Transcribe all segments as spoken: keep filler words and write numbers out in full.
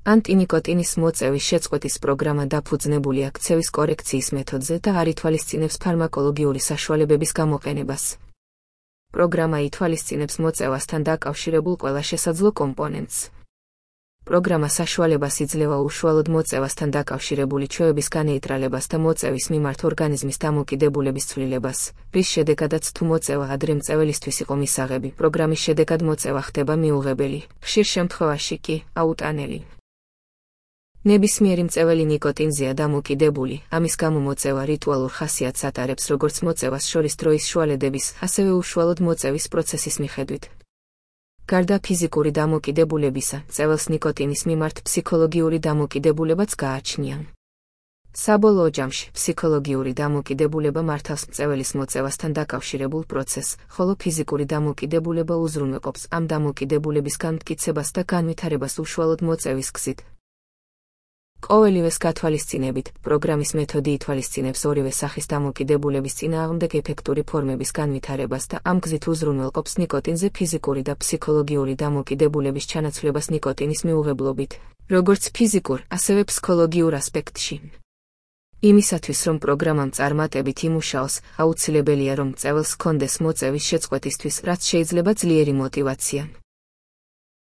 ანტინიკოტინის მოწევის შეწყვეტის პროგრამა დაფუძნებულია ქცევის კორექციის მეთოდზე და არ ითვალისწინებს ფარმაკოლოგიური საშუალებების გამოყენებას. პროგრამა ითვალისწინებს მოწევასთან დაკავშირებულ ყველა შესაძლო კომპონენტს. პროგრამა საშუალებას იძლევა უშუალოდ მოწევასთან დაკავშირებული ჩვევების განეიტრალებას და მოწევის მიმართ ორგანიზმის დამოკიდებულების ცვლილებას, რის შედეგადაც თუ მოწევა ადრე მწეველისთვის იყო მისაღები, პროგრამის შედეგად მოწევა ხდება მიუღებელი, ხშირ შემთხვევაში კი აუტანელი. ნებისმიერი მწეველი ნიკოტინზეა დამოკიდებული, ამის გამო მოწევა რიტუალურ ხასიათს ატარებს როგორც მოწევას შორის დროის შუალედების, ასევე უშუალოდ მოწევის პროცესის მიხედვით. გარდა ფიზიკური დამოკიდებულებისა, მწეველს ნიკოტინის მიმართ ფსიქოლოგიური დამოკიდებულებაც გააჩნია. საბოლოო ჯამში, ფსიქოლოგიური დამოკიდებულება მართავს მწეველის მოწევასთან დაკავშირებულ პროცესს, ხოლო ფიზიკური დამოკიდებულება უზრუნველყოფს ამ დამოკიდებულების განმტკიცებას და განვითარებას უშუალოდ მოწევის გზით. ყოველივეს გათვალისწინებით, პროგრამის მეთოდი ითვალისწინებს ორივე სახის დამოკიდებულების წინააღმდეგ ეფექტური ფორმების განვითარებას და ამ გზით უზრუნველყოფს ნიკოტინზე ფიზიკური და ფსიქოლოგიური დამოკიდებულების ჩანაცვლებას ნიკოტინის მიუღებლობით, როგორც ფიზიკურ, ასევე ფსიქოლოგიურ ასპექტში. იმისათვის, რომ პროგრამამ წარმატებით იმუშაოს, აუცილებელია, რომ მწეველს ჰქონდეს მოწევის შეწყვეტისთვის, რაც შეიძლება ძლიერი мотивация.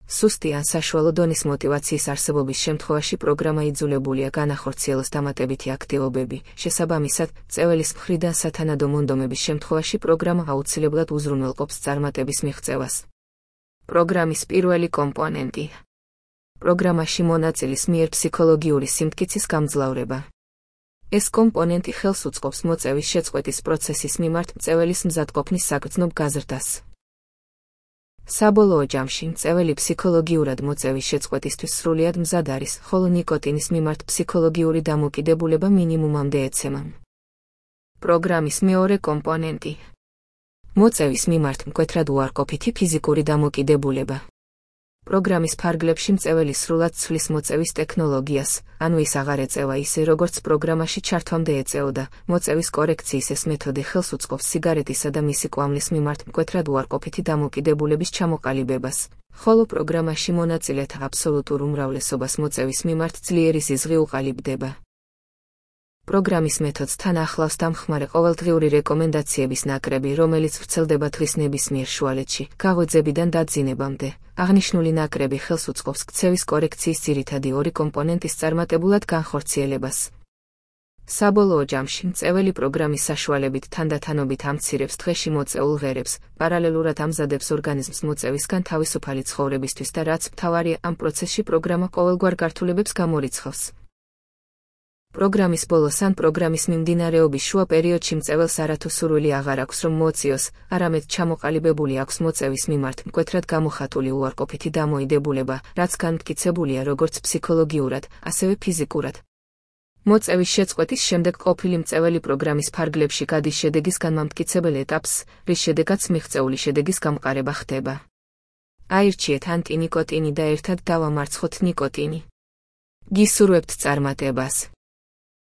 სუსტი ან საშუალო დონის мотивაციის არსებობის შემთხვევაში პროგრამა იძულებულია განახორციელოს დამატებითი აქტივობები. შესაბამისად, მწეველის მხრიდან სათანადო მონდომების შემთხვევაში პროგრამა აუცილებლად უზრუნველყოფს წარმატების მიღწევას. პროგრამის პირველი კომპონენტი. პროგრამაში მონაწილის მიერ ფსიქოლოგიური სიმტკიცის გამძლავრება. ეს კომპონენტი ხელს უწყობს მოწევის შეწყვეტის პროცესის მიმართ მწეველის მზადყოფნის საგრძნობ გაზრდას. საბოლოო ჯამში მწეველი ფსიქოლოგიურად მოწევის შეწყვეტისთვის სრულად მზად არის, ხოლო ნიკოტინის მიმართ ფსიქოლოგიური დამოკიდებულება მინიმუმამდე ეცემა. პროგრამის მეორე კომპონენტი. მოწევის მიმართ მკვეთრად უარყოფითი ფიზიკური დამოკიდებულება. პროგრამის ფარგლებში მწეველი სრულად ცვლის მოწევის ტექნოლოგიას, ანუ ის აღარ ეწევა ისე, როგორც პროგრამაში ჩართვამდე ეწეოდა. მოწევის კორექციის ეს მეთოდი ხელს უწყობს სიგარეტისა და მისი კვამლის მიმართ მკვეთრად უარყოფითი დამოკიდებულების ჩამოყალიბებას, ხოლო პროგრამაში მონაწილეთა აბსოლუტურ უმრავლესობას მოწევის მიმართ ძლიერი ზიზღი უყალიბდება. პროგრამის მეთოდს თან ახლავს დამხმარე ყოველდღიური რეკომენდაციების ნაკრები, რომელიც ვრცელდება დღის ნებისმიერ შუალედში, გაღვიძებიდან დაძინებამდე. აღნიშნული ნაკრები ხელს უწყობს ქცევის კორექციის ძირითადი ორი კომპონენტის წარმატებულად განხორციელებას. საბოლოო ჯამში მწეველი პროგრამის საშუალებით თანდათანობით ამცირებს დღეში მოწეულ ღერებს, პარალელურად ამზადებს ორგანიზმს მოწევისგან თავისუფალი ცხოვრებისთვის და რაც მთავარია, ამ პროცესში პროგრამა ყოველგვარ გართულებებს გამორიცხავს. პროგრამის ბოლოს ან პროგრამის მიმდინარეობის შუა პერიოდში მწეველს არათუ სურვილი აღარ აქვს, რომ მოციოს, არამედ ჩამოყალიბებული აქვს მოწევის მიმართ მკვეთრად გამოხატული უარყოფითი დამოიდებულება, რაც განმტკიცებულია როგორც ფსიქოლოგიურად, ასევე ფიზიკურად. მოწევის შეწყვეტის შემდეგ ყოფილი მწეველი პროგრამის ფარგლებში გადის შედეგის განმამტკიცებელ ეტაპს, რის შედეგადაც მიღწეული შედეგის გამყარება ხდება. აირჩიეთ ანტინიკოტინი და ერთად დავამარცხოთ ნიკოტინი. გისურვებთ წარმატებას!